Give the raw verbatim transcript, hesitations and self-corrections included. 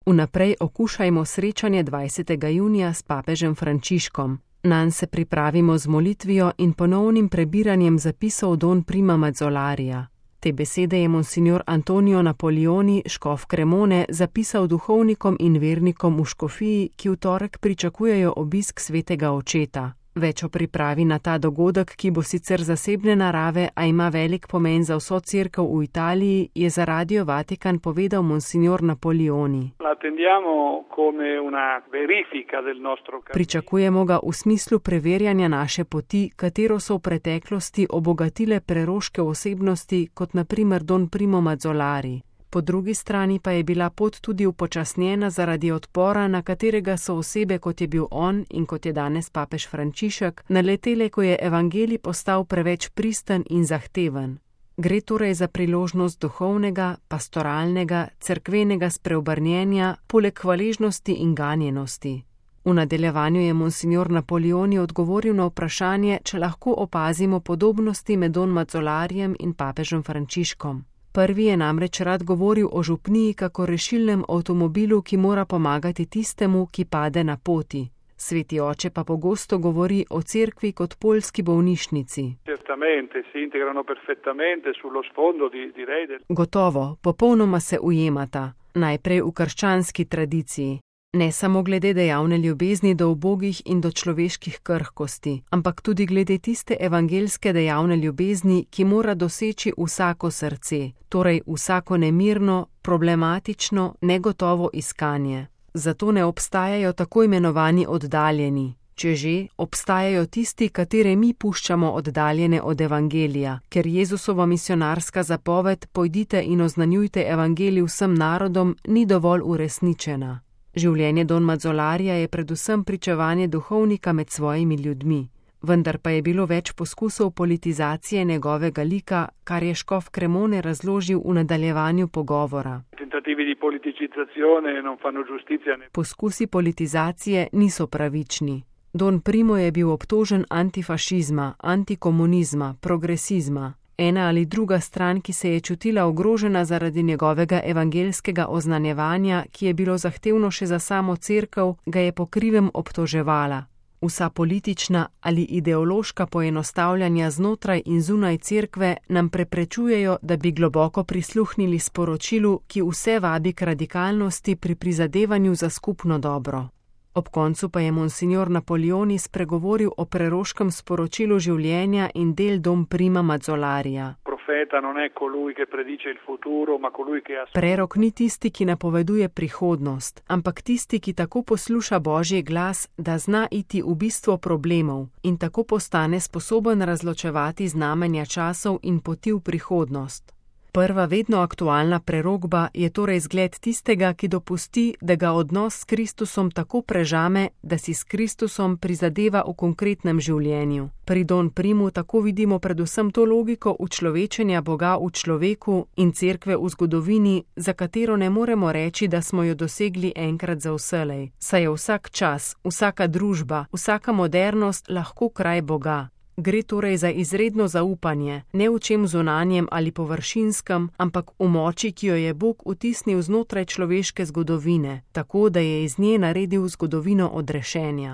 Vnaprej okušajmo srečanje dvajsetega junija s papežem Frančiškom. Nanj se pripravimo z molitvijo in ponovnim prebiranjem zapisov Don Prima Mazzolarija. Te besede je monsignor Antonio Napolioni, škof Cremone, zapisal duhovnikom in vernikom v škofiji, ki v torek pričakujejo obisk svetega očeta. Več o pripravi na ta dogodek, ki bo sicer zasebne narave, a ima velik pomen za vso cerkev v Italiji, je za Radio Vatikan povedal monsignor Napolioni. Pričakujemo ga v smislu preverjanja naše poti, katero so v preteklosti obogatile preroške osebnosti, kot na primer Don Primo Mazzolari. Po drugi strani pa je bila pot tudi upočasnjena zaradi odpora, na katerega so osebe, kot je bil on in kot je danes papež Frančišek, naletele, ko je evangelij postal preveč pristen in zahteven. Gre torej za priložnost duhovnega, pastoralnega, cerkvenega spreobrnjenja, poleg hvaležnosti in ganjenosti. V nadaljevanju je monsignor Napolioni odgovoril na vprašanje, če lahko opazimo podobnosti med Don Mazzolarjem in papežem Frančiškom. Prvi je namreč rad govoril o župniji kako rešilnem avtomobilu, ki mora pomagati tistemu, ki pade na poti. Sveti oče pa pogosto govori o cerkvi kot poljski bolnišnici. Gotovo, popolnoma se ujemata, najprej v krščanski tradiciji. Ne samo glede dejavne ljubezni do ubogih in do človeških krhkosti, ampak tudi glede tiste evangelske dejavne ljubezni, ki mora doseči vsako srce, torej vsako nemirno, problematično, negotovo iskanje. Zato ne obstajajo tako imenovani oddaljeni. Če že, obstajajo tisti, katere mi puščamo oddaljene od evangelija, ker Jezusova misionarska zapoved pojdite in oznanjujte evangelij vsem narodom ni dovolj uresničena. Življenje Don Mazzolarija je predvsem pričevanje duhovnika med svojimi ljudmi, vendar pa je bilo več poskusov politizacije njegovega lika, kar je škof Cremone razložil v nadaljevanju pogovora. Poskusi politizacije niso pravični. Don Primo je bil obtožen antifašizma, antikomunizma, progresizma. Ena ali druga stran, ki se je čutila ogrožena zaradi njegovega evangelskega oznanjevanja, ki je bilo zahtevno še za samo cerkev, ga je po krivem obtoževala. Vsa politična ali ideološka poenostavljanja znotraj in zunaj cerkve nam preprečujejo, da bi globoko prisluhnili sporočilu, ki vse vabi k radikalnosti pri prizadevanju za skupno dobro. Ob koncu pa je monsignor Napolioni spregovoril o preroškem sporočilu življenja in del Don Prima Mazzolarija. Prerok ni tisti, ki napoveduje prihodnost, ampak tisti, ki tako posluša Božji glas, da zna iti v bistvo problemov in tako postane sposoben razločevati znamenja časov in poti v prihodnost. Prva vedno aktualna prerokba je torej zgled tistega, ki dopusti, da ga odnos s Kristusom tako prežame, da si s Kristusom prizadeva v konkretnem življenju. Pri Don Primu tako vidimo predvsem to logiko učlovečenja Boga v človeku in cerkve v zgodovini, za katero ne moremo reči, da smo jo dosegli enkrat za vselej. Saj je vsak čas, vsaka družba, vsaka modernost lahko kraj Boga. Gre torej za izredno zaupanje, ne v čem zunanjem ali površinskem, ampak v moči, ki jo je Bog vtisnil znotraj človeške zgodovine, tako da je iz nje naredil zgodovino odrešenja.